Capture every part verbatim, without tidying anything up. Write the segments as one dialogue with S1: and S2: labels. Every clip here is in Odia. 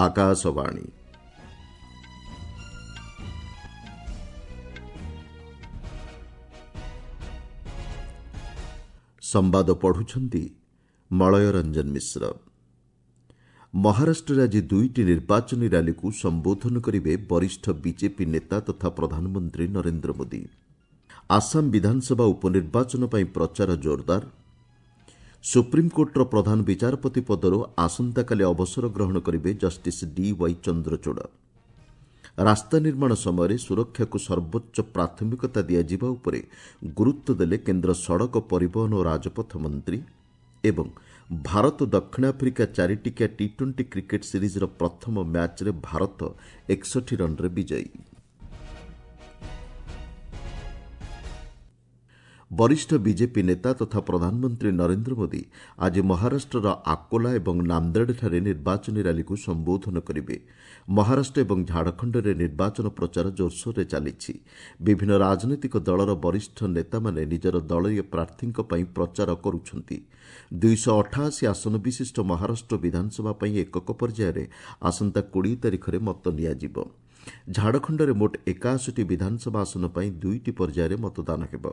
S1: ଆକାଶବାଣୀ। ସମ୍ବାଦ ପଢୁଛନ୍ତି ମଳୟ ରଞ୍ଜନ ମିଶ୍ର। ମହାରାଷ୍ଟ୍ରରେ ଆଜି ଦୁଇଟି ନିର୍ବାଚନୀ ର୍ୟାଲିକୁ ସମ୍ବୋଧନ କରିବେ ବରିଷ୍ଠ ବିଜେପି ନେତା ତଥା ପ୍ରଧାନମନ୍ତ୍ରୀ ନରେନ୍ଦ୍ର ମୋଦି। ଆସାମ ବିଧାନସଭା ଉପନିର୍ବାଚନ ପାଇଁ ପ୍ରଚାର ଜୋରଦାର। ସୁପ୍ରିମକୋର୍ଟର ପ୍ରଧାନ ବିଚାରପତି ପଦରୁ ଆସନ୍ତାକାଲି ଅବସର ଗ୍ରହଣ କରିବେ ଜଷ୍ଟିସ୍ ଡି ୱାଇ ଚନ୍ଦ୍ରଚୂଡ଼। ରାସ୍ତା ନିର୍ମାଣ ସମୟରେ ସୁରକ୍ଷାକୁ ସର୍ବୋଚ୍ଚ ପ୍ରାଥମିକତା ଦିଆଯିବା ଉପରେ ଗୁରୁତ୍ୱ ଦେଲେ କେନ୍ଦ୍ର ସଡ଼କ ପରିବହନ ଓ ରାଜପଥ ମନ୍ତ୍ରୀ। ଏବଂ ଭାରତ ଦକ୍ଷିଣ ଆଫ୍ରିକା ଚାରିଟିକିଆ ଟି ଟ୍ୱେଣ୍ଟି କ୍ରିକେଟ୍ ସିରିଜ୍ର ପ୍ରଥମ ମ୍ୟାଚ୍ରେ ଭାରତ ଏକଷଠି ରନ୍ରେ ବିଜୟୀ। ବରିଷ୍ଠ ବିଜେପି ନେତା ତଥା ପ୍ରଧାନମନ୍ତ୍ରୀ ନରେନ୍ଦ୍ର ମୋଦି ଆଜି ମହାରାଷ୍ଟ୍ରର ଆକୋଲା ଏବଂ ନାନ୍ଦେଡ଼ଠାରେ ନିର୍ବାଚନୀ ର୍ୟାଲିକୁ ସମ୍ବୋଧନ କରିବେ। ମହାରାଷ୍ଟ୍ର ଏବଂ ଝାଡ଼ଖଣ୍ଡରେ ନିର୍ବାଚନ ପ୍ରଚାର ଜୋରସୋରରେ ଚାଲିଛି। ବିଭିନ୍ନ ରାଜନୈତିକ ଦଳର ବରିଷ୍ଠ ନେତାମାନେ ନିଜର ଦଳୀୟ ପ୍ରାର୍ଥୀଙ୍କ ପାଇଁ ପ୍ରଚାର କରୁଛନ୍ତି। ଦୁଇଶହ ଅଠାଅଶୀ ଆସନ ବିଶିଷ୍ଟ ମହାରାଷ୍ଟ୍ର ବିଧାନସଭା ପାଇଁ ଏକକ ପର୍ଯ୍ୟାୟରେ ଆସନ୍ତା କୋଡ଼ିଏ ତାରିଖରେ ମତ ନିଆଯିବ। ଝାଡ଼ଖଣ୍ଡରେ ମୋଟ ଏକାଅଶୀଟି ବିଧାନସଭା ଆସନ ପାଇଁ ଦୁଇଟି ପର୍ଯ୍ୟାୟରେ ମତଦାନ ହେବ।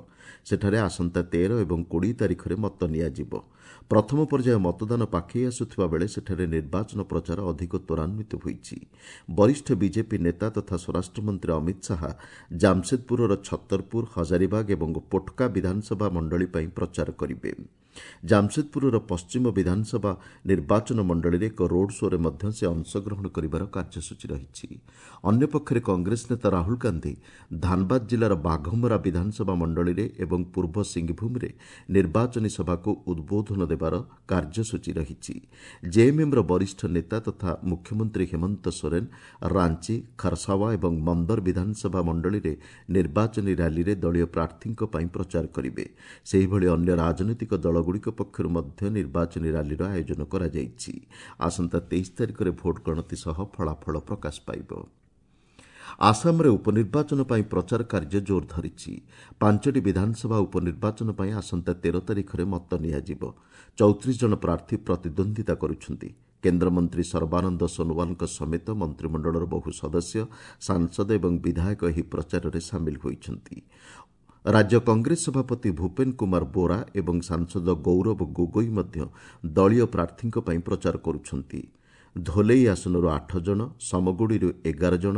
S1: ସେଠାରେ ଆସନ୍ତା ତେର ଏବଂ କୋଡ଼ିଏ ତାରିଖରେ ମତ ନିଆଯିବ। ପ୍ରଥମ ପର୍ଯ୍ୟାୟ ମତଦାନ ପାଖେଇ ଆସୁଥିବା ବେଳେ ସେଠାରେ ନିର୍ବାଚନ ପ୍ରଚାର ଅଧିକ ତ୍ୱରାନ୍ୱିତ ହୋଇଛି। ବରିଷ୍ଠ ବିଜେପି ନେତା ତଥା ସ୍ୱରାଷ୍ଟ୍ରମନ୍ତ୍ରୀ ଅମିତ ଶାହା ଜାମସେଦପୁରର ଛତରପୁର, ହଜାରିବାଗ ଏବଂ ପୋଟକା ବିଧାନସଭା ମଣ୍ଡଳୀ ପାଇଁ ପ୍ରଚାର କରିବେ। ଜାମସେଦପୁରର ପଶ୍ଚିମ ବିଧାନସଭା ନିର୍ବାଚନ ମଣ୍ଡଳୀରେ ଏକ ରୋଡ୍ ଶୋ'ରେ ମଧ୍ୟ ସେ ଅଂଶଗ୍ରହଣ କରିବାର କାର୍ଯ୍ୟସୂଚୀ ରହିଛି। ଅନ୍ୟପକ୍ଷରେ କଂଗ୍ରେସ ନେତା ରାହୁଲ ଗାନ୍ଧି ଧାନବାଦ ଜିଲ୍ଲାର ବାଘମରା ବିଧାନସଭା ମଣ୍ଡଳୀରେ ଏବଂ ପୂର୍ବ ସିଂହଭୂମରେ ନିର୍ବାଚନୀ ସଭାକୁ ଉଦ୍ବୋଧନ ଦେବାର କାର୍ଯ୍ୟସୂଚୀ ରହିଛି। ଜେଏମ୍ଏମ୍ର ବରିଷ୍ଠ ନେତା ତଥା ମୁଖ୍ୟମନ୍ତ୍ରୀ ହେମନ୍ତ ସୋରେନ ରାଞ୍ଚି, ଖରସାୱା ଏବଂ ମନ୍ଦର ବିଧାନସଭା ମଣ୍ଡଳୀରେ ନିର୍ବାଚନୀ ର୍ୟାଲିରେ ଦଳୀୟ ପ୍ରାର୍ଥୀଙ୍କ ପାଇଁ ପ୍ରଚାର କରିବେ। ସେହିଭଳି ଅନ୍ୟ ରାଜନୈତିକ ଦଳଗୁଡ଼ିକ ପକ୍ଷରୁ ମଧ୍ୟ ନିର୍ବାଚନୀ ର୍ୟାଲିର ଆୟୋଜନ କରାଯାଇଛି। ଆସନ୍ତା ତେଇଶ ତାରିଖରେ ଭୋଟ ଗଣତି ସହ ଫଳାଫଳ ପ୍ରକାଶ ପାଇବ। ଆସାମରେ ଉପନିର୍ବାଚନ ପାଇଁ ପ୍ରଚାର କାର୍ଯ୍ୟ ଜୋର ଧରିଛି। ପାଞ୍ଚଟି ବିଧାନସଭା ଉପନିର୍ବାଚନ ପାଇଁ ଆସନ୍ତା ତେର ତାରିଖରେ ମତ ନିଆଯିବ। ଚଉତିରିଶ ଜଣ ପ୍ରାର୍ଥୀ ପ୍ରତିଦ୍ୱନ୍ଦ୍ୱିତା କରୁଛନ୍ତି। କେନ୍ଦ୍ରମନ୍ତ୍ରୀ ସର୍ବାନନ୍ଦ ସୋନୋୱାଲଙ୍କ ସମେତ ମନ୍ତ୍ରିମଣ୍ଡଳର ବହୁ ସଦସ୍ୟ, ସାଂସଦ ଏବଂ ବିଧାୟକ ଏହି ପ୍ରଚାରରେ ସାମିଲ ହୋଇଛନ୍ତି। ରାଜ୍ୟ କଂଗ୍ରେସ ସଭାପତି ଭୂପେନ କୁମାର ବୋରା ଏବଂ ସାଂସଦ ଗୌରବ ଗୋଗୋଇ ମଧ୍ୟ ଦଳୀୟ ପ୍ରାର୍ଥୀଙ୍କ ପାଇଁ ପ୍ରଚାର କରୁଛନ୍ତି। ଧୋଲେଇ ଆସନରୁ ଆଠ ଜଣ, ସମଗୁଡ଼ିରୁ ଏଗାର ଜଣ,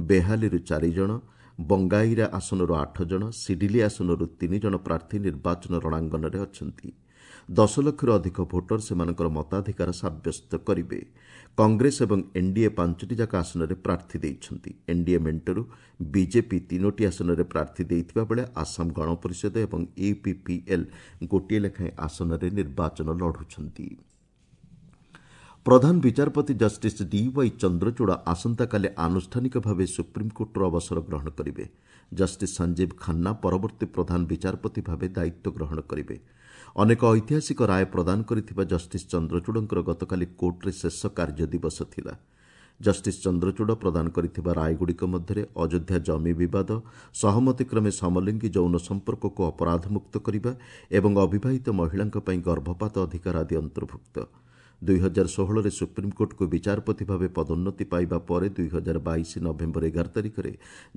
S1: ବେହାଲିରୁ ଚାରି ଜଣ, ବଙ୍ଗାଇରା ଆସନରୁ ଆଠ ଜଣ, ସିଡିଲି ଆସନରୁ ତିନି ଜଣ ପ୍ରାର୍ଥୀ ନିର୍ବାଚନ ରଣାଙ୍ଗନରେ ଅଛନ୍ତି। ଦଶ ଲକ୍ଷରୁ ଅଧିକ ଭୋଟର ସେମାନଙ୍କର ମତାଧିକାର ସାବ୍ୟସ୍ତ କରିବେ। କଂଗ୍ରେସ ଏବଂ ଏନ୍ଡିଏ ପାଞ୍ଚଟି ଯାକ ଆସନରେ ପ୍ରାର୍ଥୀ ଦେଇଛନ୍ତି। ଏନ୍ଡିଏ ମେଣ୍ଟରୁ ବିଜେପି ତିନୋଟି ଆସନରେ ପ୍ରାର୍ଥୀ ଦେଇଥିବା ବେଳେ ଆସାମ ଗଣପରିଷଦ ଏବଂ ୟୁପିପିଏଲ୍ ଗୋଟିଏ ଲେଖାଏଁ ଆସନରେ ନିର୍ବାଚନ ଲଢ଼ୁଛନ୍ତି। ପ୍ରଧାନ ବିଚାରପତି ଜଷ୍ଟିସ୍ ଡି ୱାଇ ଚନ୍ଦ୍ରଚୂଡ଼ ଆସନ୍ତାକାଲି ଆନୁଷ୍ଠାନିକ ଭାବେ ସୁପ୍ରିମକୋର୍ଟରୁ ଅବସର ଗ୍ରହଣ କରିବେ। ଜଷ୍ଟିସ୍ ସଞ୍ଜୀବ ଖାନ୍ନା ପରବର୍ତ୍ତୀ ପ୍ରଧାନ ବିଚାରପତି ଭାବେ ଦାୟିତ୍ୱ ଗ୍ରହଣ କରିବେ। ଅନେକ ଐତିହାସିକ ରାୟ ପ୍ରଦାନ କରିଥିବା ଜଷ୍ଟିସ୍ ଚନ୍ଦ୍ରଚୂଡ଼ଙ୍କର ଗତକାଲି କୋର୍ଟରେ ଶେଷ କାର୍ଯ୍ୟ ଦିବସ ଥିଲା। ଜଷ୍ଟିସ୍ ଚନ୍ଦ୍ରଚୂଡ଼ ପ୍ରଦାନ କରିଥିବା ରାୟଗୁଡ଼ିକ ମଧ୍ୟରେ ଅଯୋଧ୍ୟା ଜମି ବିବାଦ, ସହମତିକ୍ରମେ ସମଲିଙ୍ଗୀ ଯୌନ ସମ୍ପର୍କକୁ ଅପରାଧମୁକ୍ତ କରିବା ଏବଂ ଅବିବାହିତ ମହିଳାଙ୍କ ପାଇଁ ଗର୍ଭପାତ ଅଧିକାର ଆଦି ଅନ୍ତର୍ଭୁକ୍ତ। ଦୁଇ ହଜାର ଷୋହଳରେ ସୁପ୍ରିମକୋର୍ଟକୁ ବିଚାରପତି ଭାବେ ପଦୋନ୍ନତି ପାଇବା ପରେ ଦୁଇ ହଜାର ବାଇଶ ନଭେମ୍ବର ଏଗାର ତାରିଖରେ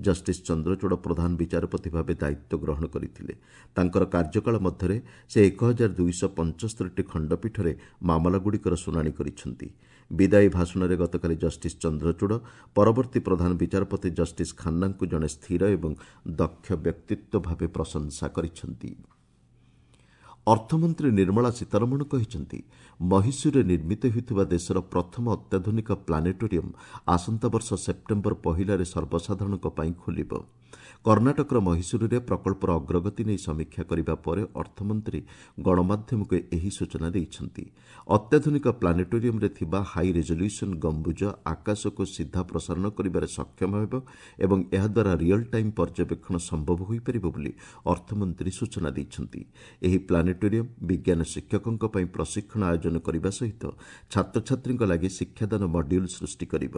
S1: ଜଷ୍ଟିସ୍ ଚନ୍ଦ୍ରଚୂଡ଼ ପ୍ରଧାନ ବିଚାରପତି ଭାବେ ଦାୟିତ୍ୱ ଗ୍ରହଣ କରିଥିଲେ। ତାଙ୍କର କାର୍ଯ୍ୟକାଳ ମଧ୍ୟରେ ସେ ଏକ ହଜାର ଦୁଇଶହ ପଞ୍ଚସ୍ତରୀଟି ଖଣ୍ଡପୀଠରେ ମାମଲାଗୁଡ଼ିକର ଶୁଣାଣି କରିଛନ୍ତି। ବିଦାୟୀ ଭାଷଣରେ ଗତକାଲି ଜଷ୍ଟିସ୍ ଚନ୍ଦ୍ରଚୂଡ଼ ପରବର୍ତ୍ତୀ ପ୍ରଧାନ ବିଚାରପତି ଜଷ୍ଟିସ୍ ଖାନ୍ନାଙ୍କୁ ଜଣେ ସ୍ଥିର ଏବଂ ଦକ୍ଷ ବ୍ୟକ୍ତିତ୍ୱ ଭାବେ ପ୍ରଶଂସା କରିଛନ୍ତି। ଅର୍ଥମନ୍ତ୍ରୀ ନିର୍ମଳା ସୀତାରମଣ କହିଛନ୍ତି, ମହୀଶୂରରେ ନିର୍ମିତ ହେଉଥିବା ଦେଶର ପ୍ରଥମ ଅତ୍ୟାଧୁନିକ ପ୍ଲାନେଟୋରିୟମ୍ ଆସନ୍ତା ବର୍ଷ ସେପ୍ଟେମ୍ବର ପହିଲାରେ ସର୍ବସାଧାରଣଙ୍କ ପାଇଁ ଖୋଲିବ। କର୍ଣ୍ଣାଟକର ମହୀଶୂରରେ ପ୍ରକଳ୍ପର ଅଗ୍ରଗତି ନେଇ ସମୀକ୍ଷା କରିବା ପରେ ଅର୍ଥମନ୍ତ୍ରୀ ଗଣମାଧ୍ୟମକୁ ଏହି ସୂଚନା ଦେଇଛନ୍ତି। ଅତ୍ୟାଧୁନିକ ପ୍ଲାନେଟୋରିୟମ୍ରେ ଥିବା ହାଇ ରେଜଲ୍ୟୁସନ୍ ଗମ୍ବୁଜ ଆକାଶକୁ ସିଧା ପ୍ରସାରଣ କରିବାରେ ସକ୍ଷମ ହେବ ଏବଂ ଏହାଦ୍ୱାରା ରିଅଲ୍ ଟାଇମ୍ ପର୍ଯ୍ୟବେକ୍ଷଣ ସମ୍ଭବ ହୋଇପାରିବ ବୋଲି ଅର୍ଥମନ୍ତ୍ରୀ ସୂଚନା ଦେଇଛନ୍ତି। ଏହି ପ୍ଲାନେଟୋରିୟମ୍ ବିଜ୍ଞାନ ଶିକ୍ଷକଙ୍କ ପାଇଁ ପ୍ରଶିକ୍ଷଣ ଆୟୋଜନ କରିବା ସହିତ ଛାତ୍ରଛାତ୍ରୀଙ୍କ ଲାଗି ଶିକ୍ଷାଦାନ ମଡ୍ୟୁଲ୍ ସୃଷ୍ଟି କରିବ।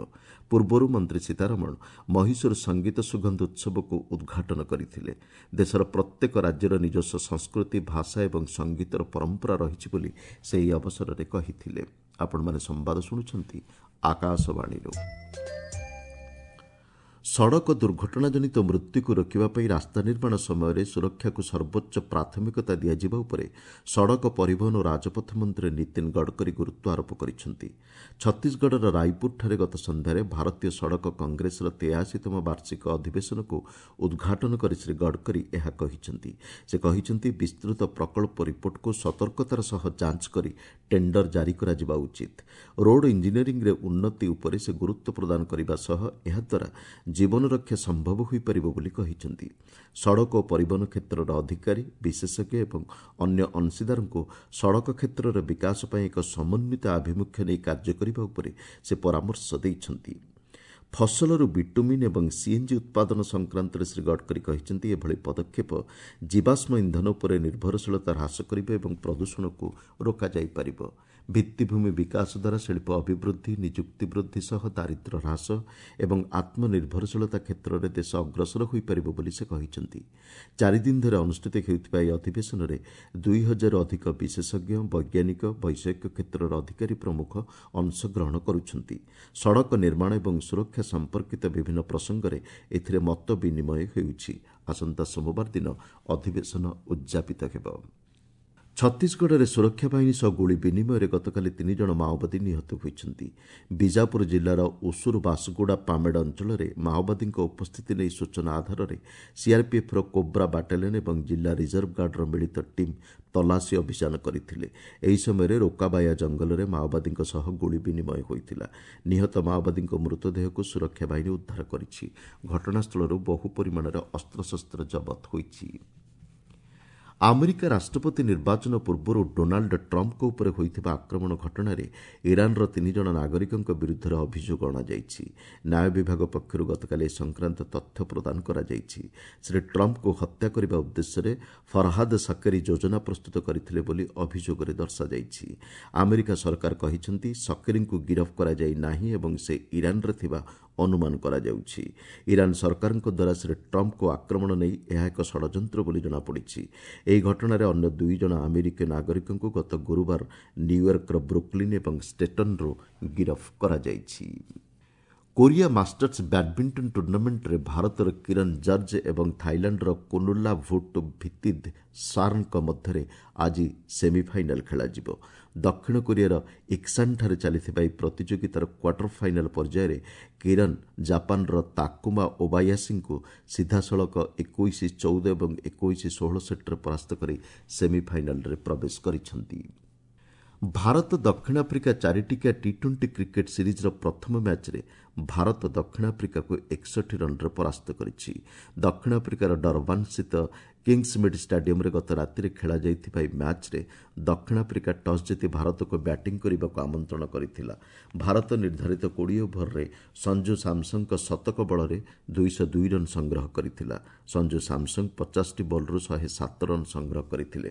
S1: ପୂର୍ବରୁ ମନ୍ତ୍ରୀ ସୀତାରମଣ ମହୀଶୂର ସଙ୍ଗୀତ ସୁଗନ୍ଧ ଉତ୍ସବକୁ ଉଦ୍ଘାଟନ କରିଥିଲେ। ଦେଶର ପ୍ରତ୍ୟେକ ରାଜ୍ୟର ନିଜସ୍ୱ ସଂସ୍କୃତି, ଭାଷା ଏବଂ ସଙ୍ଗୀତର ପରମ୍ପରା ରହିଛି ବୋଲି ସେ ଏହି ଅବସରରେ କହିଥିଲେ। ଆପଣମାନେ ସମ୍ବାଦ ଶୁଣୁଛନ୍ତି ଆକାଶବାଣୀରୁ। ସଡ଼କ ଦୁର୍ଘଟଣାଜନିତ ମୃତ୍ୟୁକୁ ରୋକିବା ପାଇଁ ରାସ୍ତା ନିର୍ମାଣ ସମୟରେ ସୁରକ୍ଷାକୁ ସର୍ବୋଚ୍ଚ ପ୍ରାଥମିକତା ଦିଆଯିବା ଉପରେ ସଡ଼କ ପରିବହନ ଓ ରାଜପଥ ମନ୍ତ୍ରୀ ନୀତିନ ଗଡ଼କରୀ ଗୁରୁତ୍ୱ ଆରୋପ କରିଛନ୍ତି। ଛତିଶଗଡ଼ର ରାୟପୁରଠାରେ ଗତ ସନ୍ଧ୍ୟାରେ ଭାରତୀୟ ସଡ଼କ କଂଗ୍ରେସର ତେୟାଅଶୀତମ ବାର୍ଷିକ ଅଧିବେଶନକୁ ଉଦ୍ଘାଟନ କରି ଶ୍ରୀ ଗଡ଼କରୀ ଏହା କହିଛନ୍ତି। ସେ କହିଛନ୍ତି, ବିସ୍ତୃତ ପ୍ରକଳ୍ପ ରିପୋର୍ଟକୁ ସତର୍କତାର ସହ ଯାଞ୍ଚ କରି ଟେଣ୍ଡର ଜାରି କରାଯିବା ଉଚିତ। ରୋଡ୍ ଇଞ୍ଜିନିୟରିଂରେ ଉନ୍ନତି ଉପରେ ସେ ଗୁରୁତ୍ୱ ପ୍ରଦାନ କରିବା ସହ ଏହାଦ୍ୱାରା ଜୀବନ ରକ୍ଷା ସମ୍ଭବ ହୋଇପାରିବ ବୋଲି କହିଛନ୍ତି। ସଡ଼କ ଓ ପରିବହନ କ୍ଷେତ୍ରର ଅଧିକାରୀ, ବିଶେଷଜ୍ଞ ଏବଂ ଅନ୍ୟ ଅଂଶୀଦାରଙ୍କୁ ସଡ଼କ କ୍ଷେତ୍ରର ବିକାଶ ପାଇଁ ଏକ ସମନ୍ୱିତ ଆଭିମୁଖ୍ୟ ନେଇ କାର୍ଯ୍ୟ କରିବା ଉପରେ ସେ ପରାମର୍ଶ ଦେଇଛନ୍ତି। ଫସଲରୁ ବିଟୁମିନ୍ ଏବଂ ସିଏନ୍ଜି ଉତ୍ପାଦନ ସଂକ୍ରାନ୍ତରେ ଶ୍ରୀ ଗଡ଼କରୀ କହିଛନ୍ତି, ଏଭଳି ପଦକ୍ଷେପ ଜୀବାଶ୍ମ ଇନ୍ଧନ ଉପରେ ନିର୍ଭରଶୀଳତା ହ୍ରାସ କରିବ ଏବଂ ପ୍ରଦୂଷଣକୁ ରୋକାଯାଇପାରିବ। ଭିତ୍ତିଭୂମି ବିକାଶ ଦ୍ୱାରା ଶିଳ୍ପ ଅଭିବୃଦ୍ଧି, ନିଯୁକ୍ତି ବୃଦ୍ଧି ସହ ଦାରିଦ୍ର୍ୟ ହ୍ରାସ ଏବଂ ଆତ୍ମନିର୍ଭରଶୀଳତା କ୍ଷେତ୍ରରେ ଦେଶ ଅଗ୍ରସର ହୋଇପାରିବ ବୋଲି ସେ କହିଛନ୍ତି। ଚାରିଦିନ ଧରି ଅନୁଷ୍ଠିତ ହେଉଥିବା ଏହି ଅଧିବେଶନରେ ଦୁଇ ହଜାରରୁ ଅଧିକ ବିଶେଷଜ୍ଞ, ବୈଜ୍ଞାନିକ, ବୈଷୟିକ କ୍ଷେତ୍ରର ଅଧିକାରୀ ପ୍ରମୁଖ ଅଂଶଗ୍ରହଣ କରୁଛନ୍ତି। ସଡ଼କ ନିର୍ମାଣ ଏବଂ ସୁରକ୍ଷା ସମ୍ପର୍କିତ ବିଭିନ୍ନ ପ୍ରସଙ୍ଗରେ ଏଥିରେ ମତ ବିନିମୟ ହେଉଛି। ଆସନ୍ତା ସୋମବାର ଦିନ ଅଧିବେଶନ ଉଦ୍ଯାପିତ ହେବ। ଛତିଶଗଡ଼ରେ ସୁରକ୍ଷା ବାହିନୀ ସହ ଗୁଳି ବିନିମୟରେ ଗତକାଲି ତିନି ଜଣ ମାଓବାଦୀ ନିହତ ହୋଇଛନ୍ତି। ବିଜାପୁର ଜିଲ୍ଲାର ଉସୁର ବାସଗୁଡ଼ା ପାମେଡ଼ ଅଞ୍ଚଳରେ ମାଓବାଦୀଙ୍କ ଉପସ୍ଥିତି ନେଇ ସୂଚନା ଆଧାରରେ ସିଆର୍ପିଏଫ୍ର କୋବ୍ରା ବାଟାଲିୟନ୍ ଏବଂ ଜିଲ୍ଲା ରିଜର୍ଭ ଗାର୍ଡର ମିଳିତ ଟିମ୍ ତଲାସୀ ଅଭିଯାନ କରିଥିଲେ। ଏହି ସମୟରେ ରୋକାବାୟା ଜଙ୍ଗଲରେ ମାଓବାଦୀଙ୍କ ସହ ଗୁଳି ବିନିମୟ ହୋଇଥିଲା। ନିହତ ମାଓବାଦୀଙ୍କ ମୃତଦେହକୁ ସୁରକ୍ଷା ବାହିନୀ ଉଦ୍ଧାର କରିଛି। ଘଟଣାସ୍ଥଳରୁ ବହୁ ପରିମାଣରେ ଅସ୍ତ୍ରଶସ୍ତ୍ର ଜବତ ହୋଇଛି। ଆମେରିକା ରାଷ୍ଟ୍ରପତି ନିର୍ବାଚନ ପୂର୍ବରୁ ଡୋନାଲ୍ଡ ଟ୍ରମ୍ପଙ୍କ ଉପରେ ହୋଇଥିବା ଆକ୍ରମଣ ଘଟଣାରେ ଇରାନର ତିନି ଜଣ ନାଗରିକଙ୍କ ବିରୁଦ୍ଧରେ ଅଭିଯୋଗ ଅଣାଯାଇଛି। ନ୍ୟାୟ ବିଭାଗ ପକ୍ଷରୁ ଗତକାଲି ଏ ସଂକ୍ରାନ୍ତ ତଥ୍ୟ ପ୍ରଦାନ କରାଯାଇଛି। ଶ୍ରୀ ଟ୍ରମ୍ପଙ୍କୁ ହତ୍ୟା କରିବା ଉଦ୍ଦେଶ୍ୟରେ ଫରହାଦ ସକେରୀ ଯୋଜନା ପ୍ରସ୍ତୁତ କରିଥିଲେ ବୋଲି ଅଭିଯୋଗରେ ଦର୍ଶାଯାଇଛି। ଆମେରିକା ସରକାର କହିଛନ୍ତି, ସକେରୀଙ୍କୁ ଗିରଫ କରାଯାଇ ନାହିଁ ଏବଂ ସେ ଇରାନରେ ଥିବା ଅନୁମାନ କରାଯାଉଛି। ଇରାନ ସରକାରଙ୍କ ଦ୍ୱାରା ଶ୍ରୀ ଟ୍ରମ୍ପଙ୍କୁ ଆକ୍ରମଣ ନେଇ ଏହା ଏକ ଷଡ଼ଯନ୍ତ୍ର ବୋଲି ଜଣାପଡ଼ିଛି। ଏହି ଘଟଣାରେ ଅନ୍ୟ ଦୁଇ ଜଣ ଆମେରିକୀୟ ନାଗରିକଙ୍କୁ ଗତ ଗୁରୁବାର ନ୍ୟୁୟର୍କର ବ୍ରୁକ୍ଲିନ୍ ଏବଂ ଷ୍ଟେଟନ୍ରୁ ଗିରଫ କରାଯାଇଛି। କୋରିଆ ମାଷ୍ଟର୍ସ ବ୍ୟାଡ୍ମିଣ୍ଟନ ଟୁର୍ଣ୍ଣାମେଣ୍ଟରେ ଭାରତର କିରଣ ଜର୍ଜ ଏବଂ ଥାଇଲାଣ୍ଡର କୁନୁଲା ଭୁଟ୍ ଭିତିଦ୍ ସାର୍ନଙ୍କ ମଧ୍ୟରେ ଆଜି ସେମିଫାଇନାଲ୍ ଖେଳାଯିବ। ଦକ୍ଷିଣ କୋରିଆର ଇକ୍ସାନ୍ଠାରେ ଚାଲିଥିବା ଏହି ପ୍ରତିଯୋଗିତାର କ୍ୱାର୍ଟର ଫାଇନାଲ୍ ପର୍ଯ୍ୟାୟରେ କିରଣ ଜାପାନର ତାକୁମା ଓବାୟାସିଙ୍କୁ ସିଧାସଳଖ ଏକୋଇଶ ଚଉଦ ଏବଂ ଏକୋଇଶ ଷୋହଳ ସେଟ୍ରେ ପରାସ୍ତ କରି ସେମିଫାଇନାଲ୍ରେ ପ୍ରବେଶ କରିଛନ୍ତି। ଭାରତ ଦକ୍ଷିଣ ଆଫ୍ରିକା ଚାରିଟିକିଆ ଟି ଟ୍ୱେଣ୍ଟି କ୍ରିକେଟ୍ ସିରିଜ୍ର ପ୍ରଥମ ମ୍ୟାଚ୍ରେ ଭାରତ ଦକ୍ଷିଣ ଆଫ୍ରିକାକୁ ଏକଷଠି ରନ୍ରେ ପରାସ୍ତ କରିଛି। ଦକ୍ଷିଣ ଆଫ୍ରିକାର ଡରବାନ୍ସ୍ଥିତ କିଙ୍ଗସ୍ମିଡ୍ ଷ୍ଟାଡିୟମ୍ରେ ଗତ ରାତିରେ ଖେଳାଯାଇଥିବା ଏହି ମ୍ୟାଚ୍ରେ ଦକ୍ଷିଣ ଆଫ୍ରିକା ଟସ୍ ଜିତି ଭାରତକୁ ବ୍ୟାଟିଂ କରିବାକୁ ଆମନ୍ତ୍ରଣ କରିଥିଲା। ଭାରତ ନିର୍ଦ୍ଧାରିତ କୋଡ଼ିଏ ଓଭରରେ ସଞ୍ଜୁ ସାମସନ୍ଙ୍କ ଶତକ ବଳରେ ଦୁଇଶହ ଦୁଇ ରନ୍ ସଂଗ୍ରହ କରିଥିଲା। ସଞ୍ଜୁ ସାମସନ୍ ପଚାଶଟି ବଲ୍ରୁ ଶହେ ସାତ ରନ୍ ସଂଗ୍ରହ କରିଥିଲେ।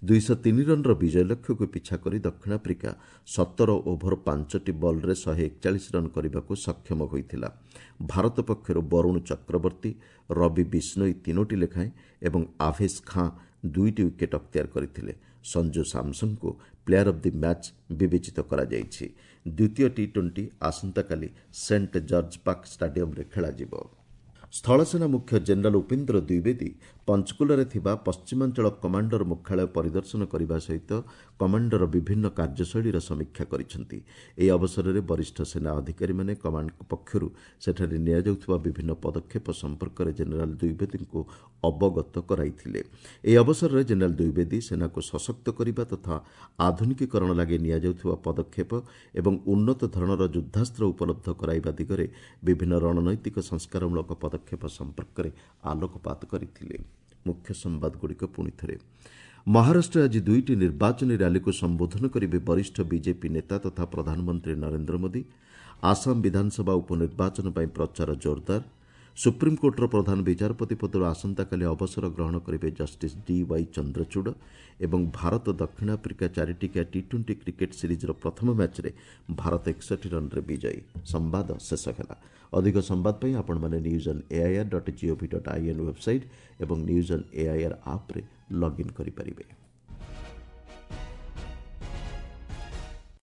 S1: ଦୁଇଶହ ତିନି ରନ୍ର ବିଜୟ ଲକ୍ଷ୍ୟକୁ ପିଛା କରି ଦକ୍ଷିଣ ଆଫ୍ରିକା ସତର ଓଭର ପାଞ୍ଚଟି ବଲ୍ରେ ଶହେ ଏକଚାଳିଶ ରନ୍ କରିବାକୁ ସକ୍ଷମ ହୋଇଥିଲା। ଭାରତ ପକ୍ଷରୁ ବରୁଣ ଚକ୍ରବର୍ତ୍ତୀ, ରବି ବିଷ୍ଣୋଇ ତିନୋଟି ଲେଖାଏଁ ଏବଂ ଆଭେସ୍ ଖାଁ ଦୁଇଟି ୱିକେଟ୍ ଅକ୍ତିଆର କରିଥିଲେ। ସଞ୍ଜୁ ସାମସନ୍ଙ୍କୁ ପ୍ଲେୟାର ଅଫ୍ the match ବିବେଚିତ କରାଯାଇଛି। ଦ୍ୱିତୀୟ ଟି ଟ୍ୱେଣ୍ଟି ଆସନ୍ତାକାଲି ସେଣ୍ଟ ଜର୍ଜ ପାର୍କ ଷ୍ଟାଡିୟମ୍ରେ ଖେଳାଯିବ। ସ୍ଥଳସେନା ମୁଖ୍ୟ ଜେନେରାଲ ଉପେନ୍ଦ୍ର ଦ୍ୱିବେଦୀ ପଞ୍ଚକୁଲାରେ ଥିବା ପଶ୍ଚିମାଞ୍ଚଳ କମାଣ୍ଡର ମୁଖ୍ୟାଳୟ ପରିଦର୍ଶନ କରିବା ସହିତ କମାଣ୍ଡର ବିଭିନ୍ନ କାର୍ଯ୍ୟଶୈଳୀର ସମୀକ୍ଷା କରିଛନ୍ତି। ଏହି ଅବସରରେ ବରିଷ୍ଠ ସେନା ଅଧିକାରୀମାନେ କମାଣ୍ଡ ପକ୍ଷରୁ ସେଠାରେ ନିଆଯାଉଥିବା ବିଭିନ୍ନ ପଦକ୍ଷେପ ସମ୍ପର୍କରେ ଜେନେରାଲ ଦ୍ୱିବେଦୀଙ୍କୁ ଅବଗତ କରାଇଥିଲେ। ଏହି ଅବସରରେ ଜେନେରାଲ ଦ୍ୱିବେଦୀ ସେନାକୁ ସଶକ୍ତ କରିବା ତଥା ଆଧୁନିକୀକରଣ ଲାଗି ନିଆଯାଉଥିବା ପଦକ୍ଷେପ ଏବଂ ଉନ୍ନତ ଧରଣର ଯୁଦ୍ଧାସ୍ତ୍ର ଉପଲବ୍ଧ କରାଇବା ଦିଗରେ ବିଭିନ୍ନ ରଣନୈତିକ ସଂସ୍କାରମୂଳକ ପଦକ୍ଷେପ ସମ୍ପର୍କରେ ଆଲୋକପାତ କରିଥିଲେ। ମୁଖ୍ୟ ସମ୍ବାଦଗୁଡ଼ିକ ପୁଣିଥରେ। ମହାରାଷ୍ଟ୍ରରେ ଆଜି ଦୁଇଟି ନିର୍ବାଚନୀ ର୍ୟାଲିକୁ ସମ୍ବୋଧନ କରିବେ ବରିଷ୍ଠ ବିଜେପି ନେତା ତଥା ପ୍ରଧାନମନ୍ତ୍ରୀ ନରେନ୍ଦ୍ର ମୋଦି। ଆସାମ ବିଧାନସଭା ଉପନିର୍ବାଚନ ପାଇଁ ପ୍ରଚାର ଜୋରଦାର। ସୁପ୍ରିମକୋର୍ଟର ପ୍ରଧାନ ବିଚାରପତି ପଦରୁ ଆସନ୍ତାକାଲି ଅବସର ଗ୍ରହଣ କରିବେ ଜଷ୍ଟିସ୍ ଡି ୱାଇ ଚନ୍ଦ୍ରଚୂଡ଼। ଏବଂ ଭାରତ ଦକ୍ଷିଣ ଆଫ୍ରିକା ଚାରିଟିକିଆ ଟି ଟ୍ୱେଣ୍ଟି କ୍ରିକେଟ୍ ସିରିଜ୍ର ପ୍ରଥମ ମ୍ୟାଚ୍ରେ ଭାରତ ଏକଷଠି ରନ୍ରେ ବିଜୟୀ। ସମ୍ବାଦ ଶେଷ ହେଲା। ଅଧିକ ସମ୍ବାଦ ପାଇଁ ଆପଣମାନେ news on AIR dot GOV dot IN website ଏବଂ ନ୍ୟୁଜ୍ ଅନ୍ ଏଆଇଆର୍ ଆପ୍ରେ ଲଗ୍ଇନ୍ କରିପାରିବେ।